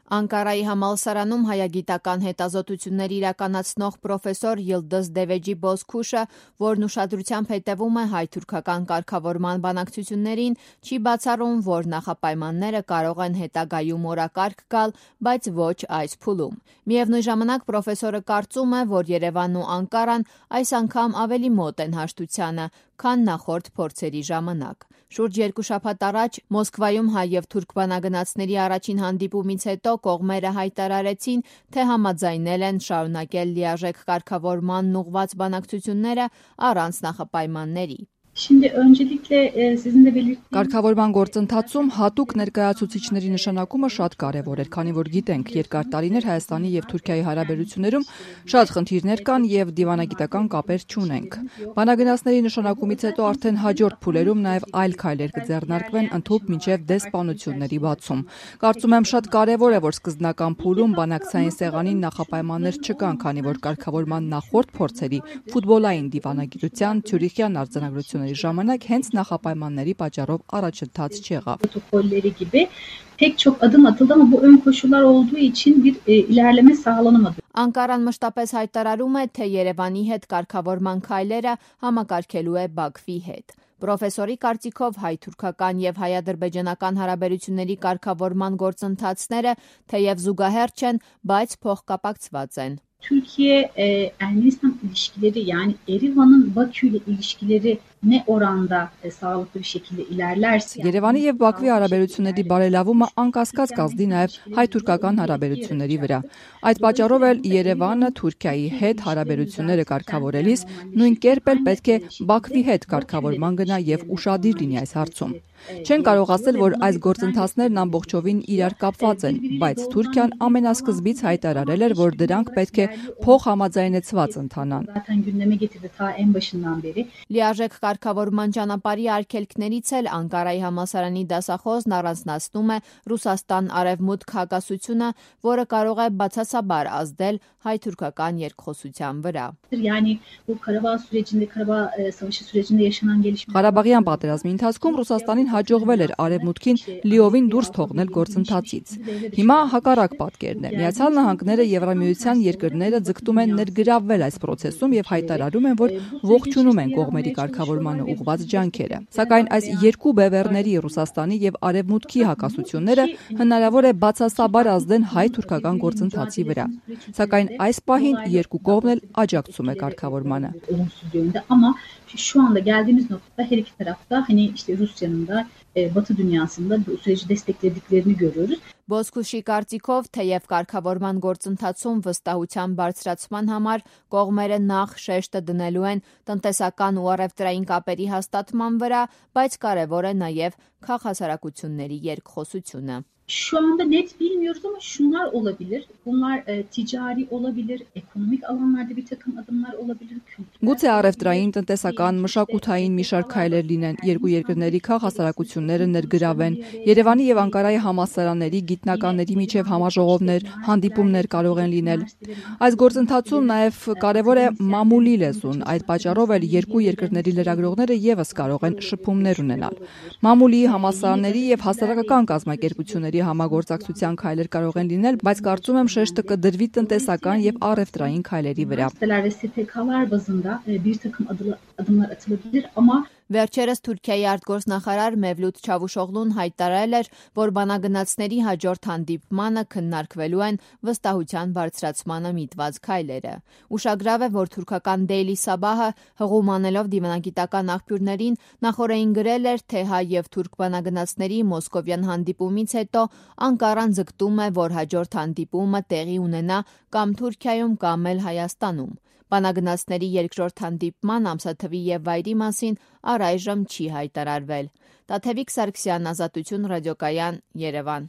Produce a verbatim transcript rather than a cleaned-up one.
Անկարայի համալսարանում հայագիտական հետազոտություններ իրականացնող պրոֆեսոր Yıldız Deveci Bozkuşը, որն ուշադրությամբ հետևում է հայ-թուրքական կարգավորման բանակցություններին, չի բացառում, որ նախապայմանները կարող են հետագայում օրակարգ գալ, բայց ոչ այս փուլում։ Միևնույն ժամանակ պրոֆեսորը կարծում է, որ Երևանն ու Անկարան այս անգամ ավելի մոտ են հաշտությանը, քան նախորդ փորձերի ժամանակ։ Շուրջ երկու շաբաթ առաջ Մոսկվայում հայ և թուրք բանագնացների առաջին հանդիպումից հետո կողմերը հայտարարեցին, թե համաձայնել են շարունակել լիարժեք կարգավորմանն ուղղված բանակցությունները առանց նախապայմանների։ Şimdi öncelikle e, sizin de belirttiğiniz Կարգավորման գործընթացում հատուկ ներկայացուցիչների նշանակումը շատ կարևոր էր, քանի որ գիտենք, երկար տարիներ Հայաստանի եւ Թուրքիայի հարաբերություններում շատ խնդիրներ կան եւ դիվանագիտական կապեր չունենք։ Բանագնացների նշանակումից հետո արդեն հաջորդ փուլերում նաեւ այլ քայլեր կձեռնարկվեն ընդհուպ մինչեւ դեսպանությունների բացում։ Կարծում եմ շատ կարևոր է, որ սկզբնական փուլում բանակցային սեղանին նախապայմաններ չկան, քանի որ կարգավորման նախորդ փորձերի ֆուտբոլային դիվանագիտության Ցյուրիխյան արձանագրությունների ժամանակ հենց նախապայմանների պատճառով առաջընթաց չեղավ։ protokolleri gibi pek çok adım atıldı ama bu ön koşullar olduğu için bir e, ilerleme sağlanamadı. Անկարան մշտապես հայտարարում է, թե Երևանի հետ կարգավորման քայլերը համակարգելու է Բաքվի հետ։ Պրոֆեսորի կարծիքով հայ-թուրքական եւ հայ-ադրբեջանական հարաբերությունների կարգավորման գործընթացները թեև զուգահեռ չեն, բայց փոխկապակցված են։ Türkiye-Ermenistan ilişkileri yani Erivan'ın Bakü ile ilişkileri ne oranda e, sağlıklı bir şekilde ilerlerse Երևանի եւ Բաքվի հարաբերությունների բարելավումը անկասկած կազդի նաեւ հայ-թուրքական հարաբերությունների վրա։ Այդ պատճառով էլ Երևանը Թուրքիայի հետ հարաբերությունները կարգավորելիս նույն կերպ էլ պետք է Բաքվի հետ կարգավորման գնա եւ ուշադիր լինի այս հարցում։ Չեն կարող ասել, որ այս գործընթացներն ամբողջովին իրար կապված են, բայց Թուրքիան ամենասկզբից հայտարարել էր, որ դրանք պետք է փոխհամաձայնեցված ընթանան։ zaten gündeme getirdi ta en başından beri. Լիարժեք կարգավորման ճանապարհի արգելքներից էլ Անկարայի համալսարանի դասախոսն առանձնացնում է Ռուսաստան-Արևմուտք հակասությունը, որը կարող է բացասաբար ազդել հայ-թուրքական երկխոսության վրա։ Yani bu Karabağ sürecinde, Karabağ e, Savaşı sürecinde yaşanan gelişmeler Ղարաբաղյան պատերազմի ընթացքում Ռուսաստանին հաջողվել էր Արևմուտքին լիովին դուրս թողնել գործընթացից։ Հիմա հակառակ պատկերն է։ Միացյալ Նահանգները Եվրամիության երկրները ձգտում են ներգրավվել այս process-ում եւ հայտարարում են, որ ողջունում են կողմերի կարգավորմանը ուղղված ջանքերը։ Սակայն այս երկու բևեռների Ռուսաստանի եւ Արևմուտքի հակասությունները հնարավոր է բացասաբար ազդեն հայ-թուրքական գործընթացի վրա։ Sակայն այս պահին երկու կողմն էլ աջակցում է կարգավորմանը։ olumsuz yönde ama şu anda geldiğimiz noktada her iki tarafta hani işte Rusya'nın da e, Batı dünyasında bu süreci desteklediklerini görüyoruz. Բոսկուշի կարծիքով, թեև կարգավորման գործընթացում վստահության բարձրացման համար կողմերը նախ շեշտը դնելու են տնտեսական ու առևտրային կապերի hastատման վրա, բայց կարևոր է նաև քաղաքասարակությունների երկխոսությունը։ Şu anda net bilmiyoruz ama şunlar olabilir. Bunlar e, ticari olabilir, ekonomik alanlarda bir takım adımlar olabilir. Գուցե առևտրային, տնտեսական, մշակութային մի շարք քայլեր լինեն, երկու երկրների քաղաքասարակությունները ներգրավեն, Երևանի եւ Անկարայի համալսարանների գիտնականների միջև համաժողովներ, հանդիպումներ կարող են լինել։ Այս գործընթացում նաեւ կարևոր է մամուլի լեզուն, այդ պատճառով էլ երկու երկրների լրագրողները եւս կարող են շփումներ ունենալ։ Մամուլի, համալսարանների եւ հասարակական կազմակերպությունների համագործակցության քայլեր կարող են լինել, բայց կարծում եմ շեշտը կդրվի տնտեսական եւ առևտրային քայլերի վրա։ Ve S T K'lar bazında e, bir takım adı- adımlar atılabilir ama Վերջերս Թուրքիայի արտգործնախարար Մևլութ Չավուշօղլուն հայտարարել էր, որ բանագնացների հաջորդ հանդիպմանը քննարկվելու են վստահության բարձրացմանը միտված քայլերը։ Ուշագրավ է, որ թուրքական Daily Sabah-ը հղումանելով դիվանագիտական աղբյուրներին նախորդին գրել էր, թե հայ եւ թուրք բանագնացների մոսկովյան հանդիպումից հետո Անկարան ձգտում է, որ հաջորդ հանդիպումը տեղի ունենա կամ Թուրքիայում կամ էլ Հայաստանում։ Բանագնացների երկրորդ հանդիպման ամսաթվի եւ վայրի մասին առայժմ չի հայտարարվել։ Տաթևիկ Սարգսյան, Ազատություն ռադիոկայան, Երևան։